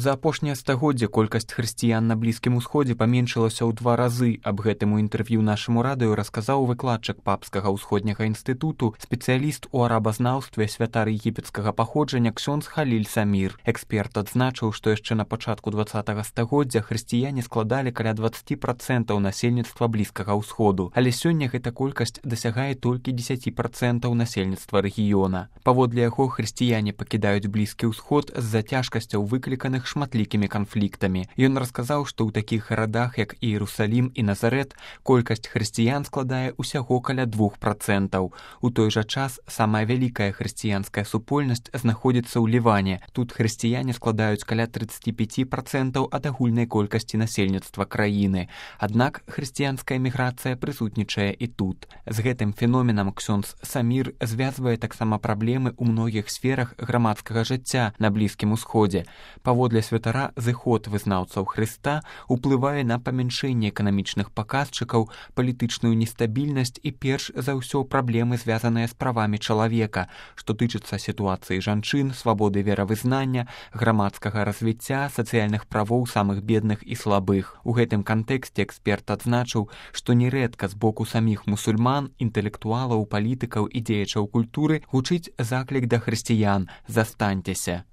За апошняе стагоддзе колькасць хрысціян на Блізкім Усходзе паменшылася ў 2 разы. Аб гэтым у інтэрв'ю нашаму радыё расказаў выкладчык Папскага ўсходняга інстытуту, спецыяліст у арабазнаўстве, святар егіпецкага паходжання ксёндз Халіль Самір. Эксперт адзначыў, што яшчэ на пачатку 20-го стагоддзя хрысціяне складалі каля 20% насельніцтва Блізкага Ўсходу, але сёння гэта колькасць дасягае толькі 10% насельніцтва рэгіёна. Паводле яго, хрысціяне пакідаюць Блізкі Ўсход з-за цяжкасцяў, выкліканых шматлікімі канфліктамі. Ён расказаў, што ў такіх гарадах, як Іерусалім і Назарэт, колькасць хрысціян складае ўсяго каля 2%. У той жа час самая вялікая хрысціянская супольнасць знаходзіцца ў Ліване. Тут хрысціяне складаюць каля 35% ад агульнай колькасці насельніцтва краіны. Аднак хрысціянская міграцыя прысутнічае і тут. З гэтым феноменам ксёндз Самір звязвае таксама праблемы ў многіх сферах грамадскага жыцця на Блізкім Усходзе. Паводле святара, зыход вызнаўцаў Хрыста уплывае на памяншэнне эканамічных паказчыкаў, палітычную нестабільнасць і перш за ўсё праблемы, звязаныя з правамі чалавека, што тычыцца сітуацыі жанчын, свабоды веравызнання, грамадскага развіцця, сацыяльных правоў самых бедных і слабых. У гэтым кантэксце эксперт адзначыў, што нерэдка з боку саміх мусульман, інтэлектуалаў, палітыкаў і дзеячаў культуры гучыць заклік да хрысціян: застаньцеся.